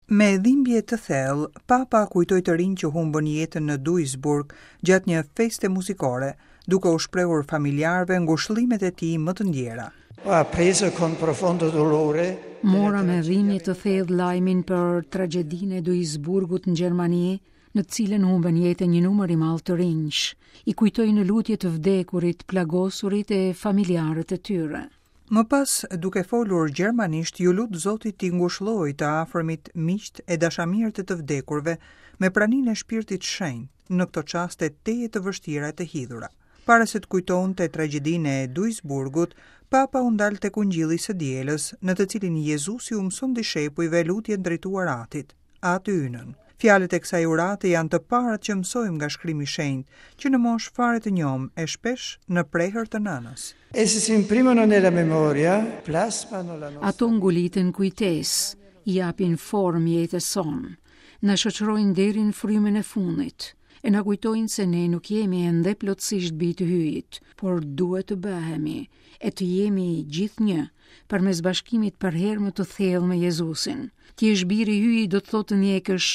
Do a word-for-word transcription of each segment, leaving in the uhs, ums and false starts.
Me dhimbje të thellë, Papa kujtoi të rinj që humbën jetën në Duisburg gjatë një feste muzikore, duke u shprehur familjarëve ngushëllimet e tij më të ndjera. Ho appreso con profondo dolore Mora me dhimbje të thellë lajmin për tragjedinë e Duisburgut në Gjermani, në të cilën humbën jetën një numër i madh të rinjsh. I kujtoj në lutje të vdekurit, plagosurit e familjarët e tyre. Më pas, duke folur gjermanisht, iu lut Zotit t'i ngushëllojë të afërmit, miqtë e dashamirët e të vdekurve me praninë e Shpirtit Shenjt në këto çaste tejet të vështira e të hidhura. Para se të kujtonte tragjedinë e Duisburgut, Papa u ndal tek Ungjilli i së dielës, në të cilin Jezusi u mëson dishepujve lutjen drejtuar Atit, Ati Ynën. Fjalët e kësaj urate janë të parat që mësojmë nga shkrimi i shenjtë, që në moshë fare të njomë e shpesh në prehër të nënës. Essi si imprimono nella memoria, plasmano la nostra Ato nguliten kujtesë, i japin formë jetës sonë, na shoqërojnë deri në frymën e fundit, e na kujtojnë se ne nuk jemi ende plotësisht bij të Hyjit, por duhet të bëhemi e të jemi gjithnjë përmes bashkimit përherë më të thellë me Jezusin. Të jesh bir i Hyjit do të thotë të ndjekësh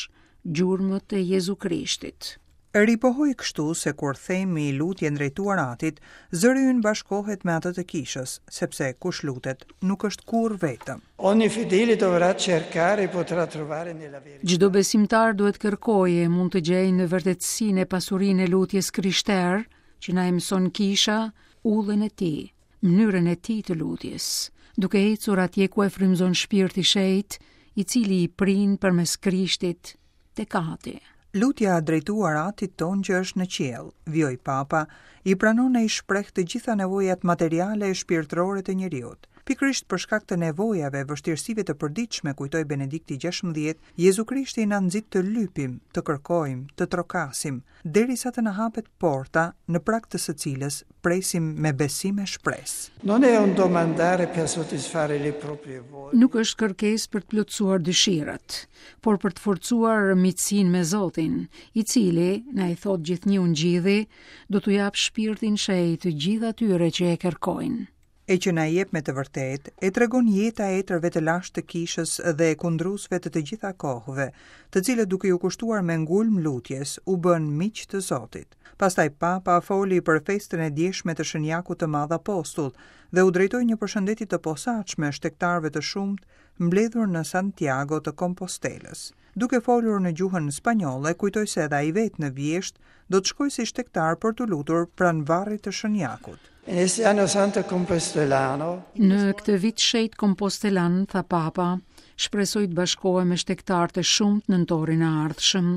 gjurmët e Jezu Krishtit. Ripohoi kështu se kur themi lutjen drejtuar Atit, zëri ynë bashkohet me atë të kishës, sepse kush lutet nuk është kurrë vetëm. Ogni fedele dovrà cercare e potrà trovare nella verità. Çdo besimtar duhet kërkojë e mund të gjejë në vërtetësinë e pasurinë e lutjes krishterë, që na e mëson kisha, udhën e tij, mënyrën e tij të lutjes, duke ecur atje ku e frymëzon Shpirti i Shenjtë, i cili i prin përmes Krishtit tek Ati. Lutja drejtuar Atit tonë që është në qiell, vijoi Papa, i pranon e i shpreh të gjitha nevojat materiale e shpirtërore të njeriut. Pikërisht për shkak të nevojave e vështirësive të përditshme, kujtoi Benedikti gjashtëmbëdhjetë, Jezu Krishti na nxit të lypim, të kërkojmë, të trokasim, derisa të na hapet porta në prag të së cilës presim me besim e shpresë. Non è un domandare per soddisfare le proprie voglie. Nuk është kërkesë për të plotësuar dëshirat, por për të forcuar miqësinë me Zotin, i cili, na i thot gjithnjë Ungjilli, do t'u jap shpirtin shenjt të gjithë atyre që e kërkojnë. E që na jep me të vërtetë, e tregon jeta e etërve të lashtë të kishës dhe e kundruesve të të gjitha kohëve, të cilët duke ju kushtuar me ngulm lutjes, u bën miq të Zotit. Pastaj Papa foli për festën e djeshme të Shën Jakut të Madh Apostull dhe u drejtoi një përshëndetje të posaçme shtegtarëve të shumtë mbledhur në Santiago të Kompostelës. Duke folur në gjuhën spanjolle, kujtoi se edhe ai vetë në vjesht do të shkojë si shtegtar për t'u lutur pranë varrit të Shën Jakut. In este anno santo compostelano, Në këtë vit shenjt kompostelan, tha Papa, shpresoj të bashkohem me shtegtarë të shumtë në nëntorin e ardhshëm,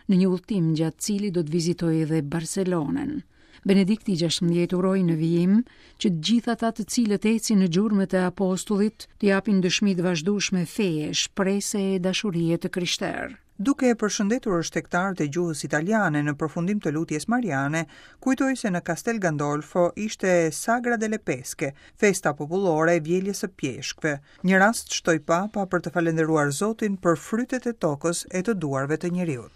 në një udhtim gjatë cilit do të vizitoj edhe Barcelonën. Benedikti gjashtëmbëdhjetë uroi në vijim që të gjithë ata të cilët ecin në gjurmët e apostullit të japin dëshmi të vazhdueshme feje, shprese e dashurie të krishterë. Duke e përshëndetur shtegtarët e gjuhës italiane në përfundim të lutjes mariane, kujtoi se në Castel Gandolfo ishte Sagra delle Pesche, festa popullore e vjeljes së pjeshkëve. Një rast shtoi Papa për të falendëruar Zotin për frytet e tokës e të duarve të njeriut.